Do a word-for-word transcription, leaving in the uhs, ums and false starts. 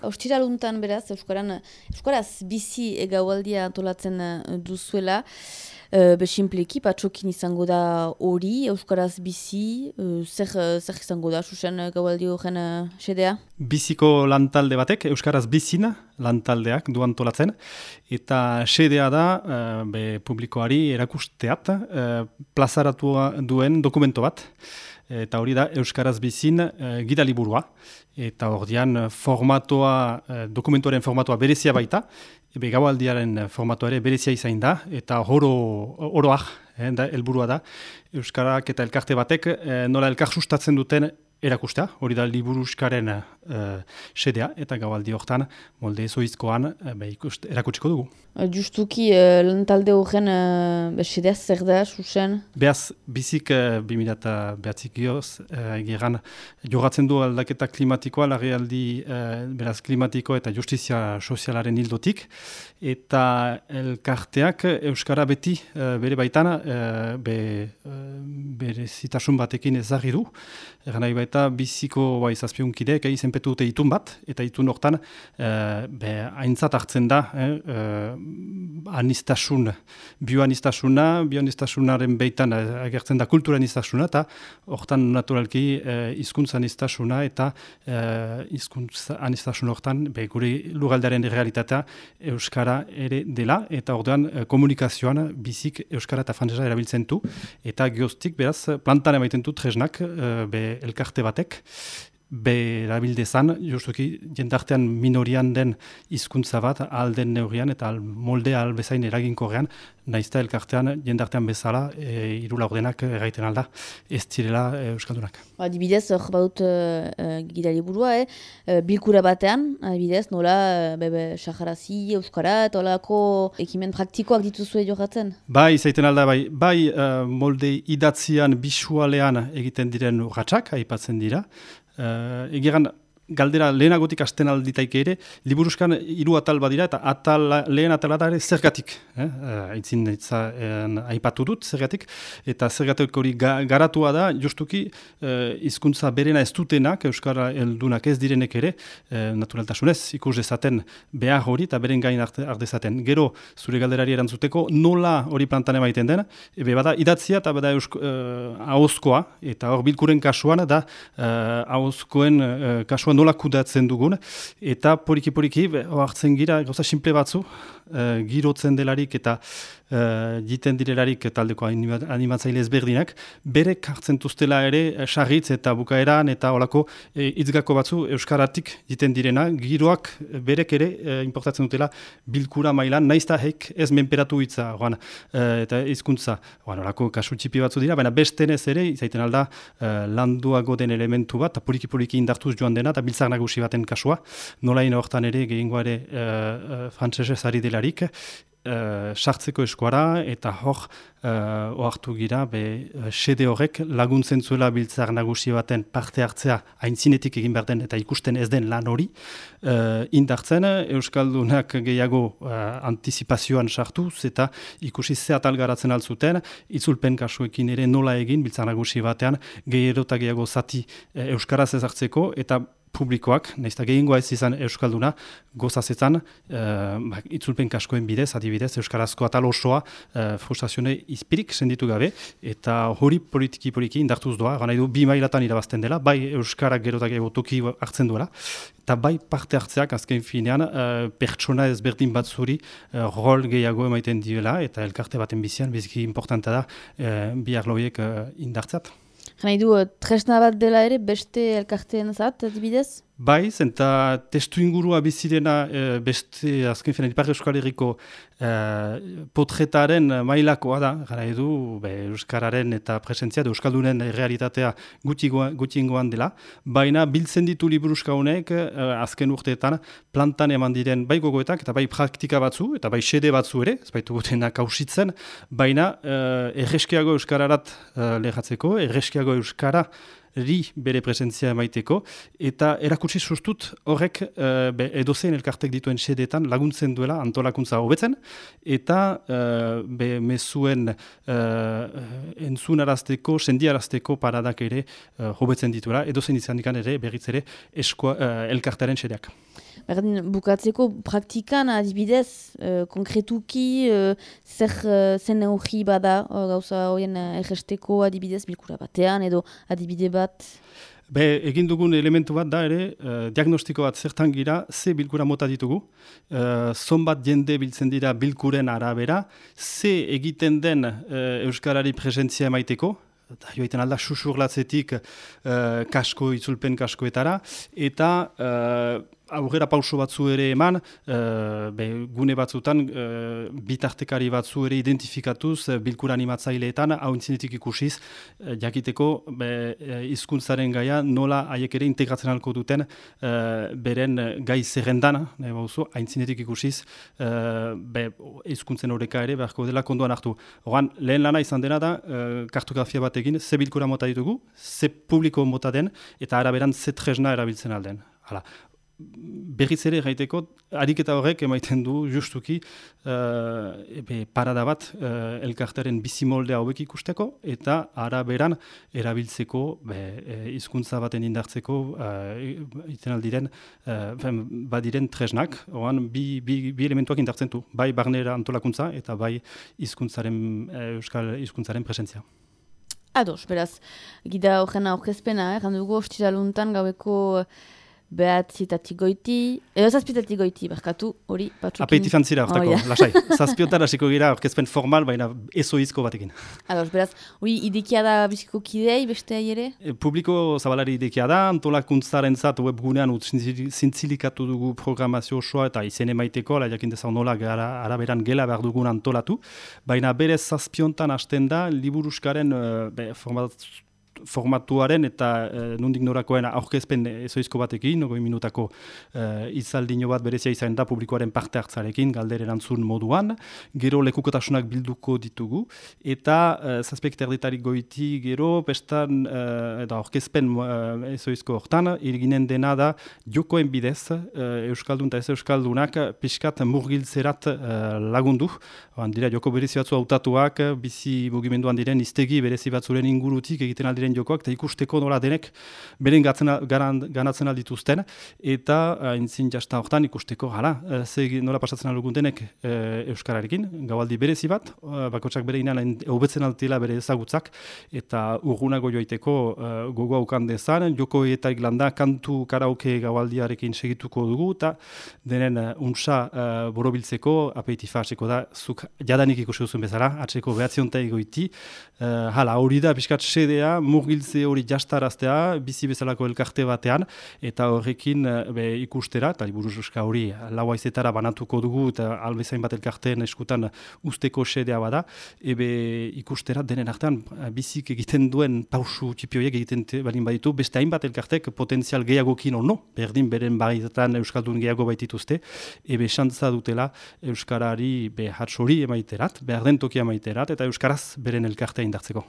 Ostiraluntan beraz, Euskaran, Euskaraz bizi gaualdia antolatzen duzuela, uh, besimpleki, patxokin izango da hori, Euskaraz bizi, uh, zer, zer izango da, susen gaualdi horren uh, xedea? Biziko lantalde batek, Euskaraz bizina lantaldeak du antolatzen, eta xedea da, uh, be publikoari erakusteat, uh, plazaratua duen dokumento bat, eta hori da Euskaraz bizin uh, gidaliburua. Eta ordian formatoa, uh, dokumentuaren formatoa berezia baita, ebe gaualdiaren formatoa ere berezia izain da, eta oro, oroak, eh, da, helburua da, Euskarak eta elkarte batek eh, nola elkar sustatzen duten erakustea, hori da liburuskaren uh, xedea, eta gaualdi hortan molde zoizkoan uh, erakutsiko dugu. Justuki, uh, lantalde horren uh, xedea zer da, susen? Beaz, bizik uh, bi mila behatzik gioz, uh, egeran jogatzen du aldaketa klimatikoa, larrialdi uh, beraz klimatiko eta justizia sozialaren hildotik, eta elkarteak Euskara beti uh, bere baitan uh, be, uh, bere zitasun batekin ezagri du, eran nahi eta biziko bai zazpiunkideek eh, izenpetu dute itun bat, eta itun hortan eh, be, aintzat hartzen da eh, eh, anistasun, bioanistasuna, bioanistasunaren beitan eh, agertzen da kultura anistasuna, eta hortan naturalki eh, hizkuntza anistasuna eta eh, hizkuntza anistasun hortan be, gure lugaldaren realitatea Euskara ere dela, eta ordean eh, komunikazioan bizik Euskara eta frantsesa erabiltzen du, eta geoztik beraz plantan emaiten du tresnak eh, be, elkarte batek, berabildezan, justuki jendartean minorian den hizkuntza bat, alden neurrian eta al moldea albezain eraginkorrean, naizta elkartean jendartean bezala, e, hiru laurdenak erraiten alda, ez direla e, euskaldunak. Adibidez, hor baut uh, gidaliburua, eh? bilkura batean, adibidez, nola, bebe, sajarazi, euskara, eta olako ekimen praktikoak dituzue jokatzen? Bai, zaiten alda, bai, bai uh, molde idatzian, bisualean egiten diren urratsak, aipatzen dira, Uh, egeran galdera lehenagotik hasten alditaik ere, liburuskan hiru atal badira, eta atal, lehen atala da ere zergatik. Eh? Aitzin uh, aipatu dut zergatik, eta zergatik hori ga, garatua da, justuki hizkuntza uh, berena ez dutenak, Euskara heldunak ez direnek ere, uh, naturaltasunez ikus dezaten behar hori, eta beren gain ardezaten. Gero, zure galderari erantzuteko, nola hori plantan emaiten den, ebe bada idatzia eta bada eusko, uh, ahozkoa, eta hor bilkuren kasuan da uh, ahozkoen uh, kasuan nola kudatzen dugun, eta poliki-poliki hartzen gira, gauza simple batzu, uh, girotzen delarik eta uh, jiten direlarik taldeko animatzaile ezberdinak, berek hartzen tuztela ere sarritz eta bukaeran eta olako e, itzgako batzu euskaratik jiten direna, giroak berek ere e, importatzen dutela bilkura mailan, naizta hek ez menperatu hitza, oan, e, eta hizkuntza, oan, olako kasu txipi batzu dira, baina bestenez ere, izaiten alda, e, landuago den elementu bat, eta poliki-poliki indartuz joan dena, eta biltzar nagusi baten kasua, nolain hortan ere, gehiengoa ere e, e, frantsesez ari delarik, Uh, sartzeko eskuara, eta hor uh, ohartu gira, be, xede horrek laguntzen zuela biltzar nagusi baten parte hartzea aintzinetik egin behar den eta ikusten ez den lan hori, uh, indartzen Euskaldunak gehiago uh, antizipazioan sartuz, eta ikusi ze atal garatzen altzuten, itzulpen kasuekin ere nola egin biltzar nagusi batean gehiago eta gehiago zati uh, Euskaraz ez hartzeko, eta publikoak, naizta gehiengoa ez izan Euskalduna, gozazetan, uh, ba, itzulpen kaskoen bidez, adibidez, Euskarazko atal osoa uh, frustrazione izpirik senditu gabe, eta hori politiki-poliki indartuz doa, gana edo bi mailatan irabazten dela, bai Euskarak gerotak toki hartzen duela, eta bai parte hartzeak azken finean uh, pertsona ezberdin bat zuri uh, rol gehiago emaiten diela, eta elkarte baten bizian, biziki importanta da uh, bi arloiek uh, indartzat. Gana edo, tresna bat dela ere beste elkarteen zat, adibidez? Bai, zenta testu ingurua bizirena e, beste azken finean Ipar Euskal Herriko e, potretaren mailakoa da, gara edu be, Euskararen eta presentzia, Euskaldunen realitatea gutxingoan dela, baina biltzen ditu liburuska honek e, azken urteetan plantan eman diren bai gogoetak eta bai praktika batzu, eta bai xede batzu ere, ez baitu gutenak hausitzen, baina e, erreskiago Euskararat e, lehatzeko, erreskiago Euskara ri bere presentzia emaiteko, eta erakutsi sustut horrek uh, edozein elkartek dituen xedeetan laguntzen duela antolakuntza hobetzen, eta uh, be mezuen uh, entzunarazteko, sendiarazteko paradak ere uh, hobetzen dituela, edozein izan dikan ere berriz ere eskoa, uh, elkartaren xedeak. Berdin, bukatzeko praktikan adibidez, uh, konkretuki, uh, zer uh, zen neurri bada, uh, gauza horien uh, erresteko adibidez bilkura batean, edo adibide bat? Be, egin dugun elementu bat da ere, uh, diagnostiko bat zertan gira, ze bilkura mota ditugu, uh, zonbat jende biltzen dira bilkuren arabera, ze egiten den uh, euskarari presentzia emaiteko, joiten alda susurlatzetik uh, kasko, itzulpen kaskoetara, eta uh, aurrera pauso batzu ere eman, uh, be, gune batzutan uh, bitartekari batzu ere identifikatuz uh, bilkura animatzaileetan, hau intzinetik ikusiz, uh, jakiteko be, uh, hizkuntzaren gaia nola haiek ere integratzen alko duten uh, beren gai zerrendan, nahi bauzu, haintzinetik ikusiz, uh, be, hizkuntzen horreka ere beharko dela konduan hartu. Horan, lehen lana izan dena da, uh, kartografia bat egin, ze bilkura mota ditugu, ze publiko mota den, eta araberan ze tresna erabiltzen alden. Hala. Berriz ere gaiteko, ariketa horrek emaiten du justuki uh, ebe, parada bat uh, elkartaren bizimoldea hauek ikusteko eta araberan erabiltzeko hizkuntza baten indartzeko uh, iten aldiren uh, badiren tresnak, oan bi, bi, bi elementuak indartzen du, bai barnera antolakuntza eta bai hizkuntzaren uh, euskal hizkuntzaren presentzia. Ados, beraz, gida horren aurkezpena, eh, randugu ostiraluntan gaueko behatzitatik goiti, edo zazpitatik goiti, barkatu, hori, batzukin. Apeitif antzira, hortako, oh, yeah. Lasai. Zazpiotan hasiko gira, orkezpen formal, baina ezoizko batekin. Ados, beraz, hori idekia da biziko kidei, beste ere? E, publiko zabalari idekia da, antolakuntzaren zat webgunean zintzilikatu dugu programazio osoa eta izen emaiteko, la jakin dezau nola gara, araberan gela behar dugun antolatu, baina berez zazpiontan hasten da, liburuskaren uh, format, formatuaren eta e, nondik norakoen aurkezpen ezoizko batekin, ogoi minutako e, izaldino bat berezia izan da publikoaren parte hartzarekin, galder erantzun moduan, gero lekukotasunak bilduko ditugu, eta e, zazpek erdetarik goiti gero, pestan, e, eta aurkezpen e, ezoizko hortan, irginen dena da jokoen bidez, e, Euskaldun eta ez Euskaldunak pixkat murgiltzerat e, lagundu, oan dira joko berezi batzu hautatuak, bizi mugimenduan diren iztegi berezi batzuren ingurutik egiten aldiren jokoak, eta ikusteko nola denek beren ganatzen aldituzten, eta entzin jasta hortan ikusteko, hala, ze nola pasatzen aldugun denek e, Euskararekin, gaualdi berezi bat, bakotsak bere inan hobetzen altila bere ezagutzak, eta urgunago joiteko e, gogoa ukan dezan, joko eta iglanda kantu karaoke gaualdiarekin segituko dugu, eta denen unsa e, borobiltzeko apeitifa hasiko da, zuk jadanik ikusi duzun bezala, atseko behatziontai goiti, e, hala, hori da, piskat sedea, murgiltze hori jastaraztea, bizi bezalako elkarte batean, eta horrekin be, ikustera, eta liburuska hori lau haizetara banatuko dugu, eta albezain bat elkarteen eskutan usteko sedea bada, ebe ikustera denen artean bizik egiten duen pausu txipioiek egiten balin baditu, beste hainbat elkartek potentzial gehiagokin ono, berdin beren baizetan Euskaldun gehiago baitituzte, ebe xantza dutela Euskarari be hatsori emaiterat, behar den tokia emaiterat, eta Euskaraz beren elkartea indartzeko.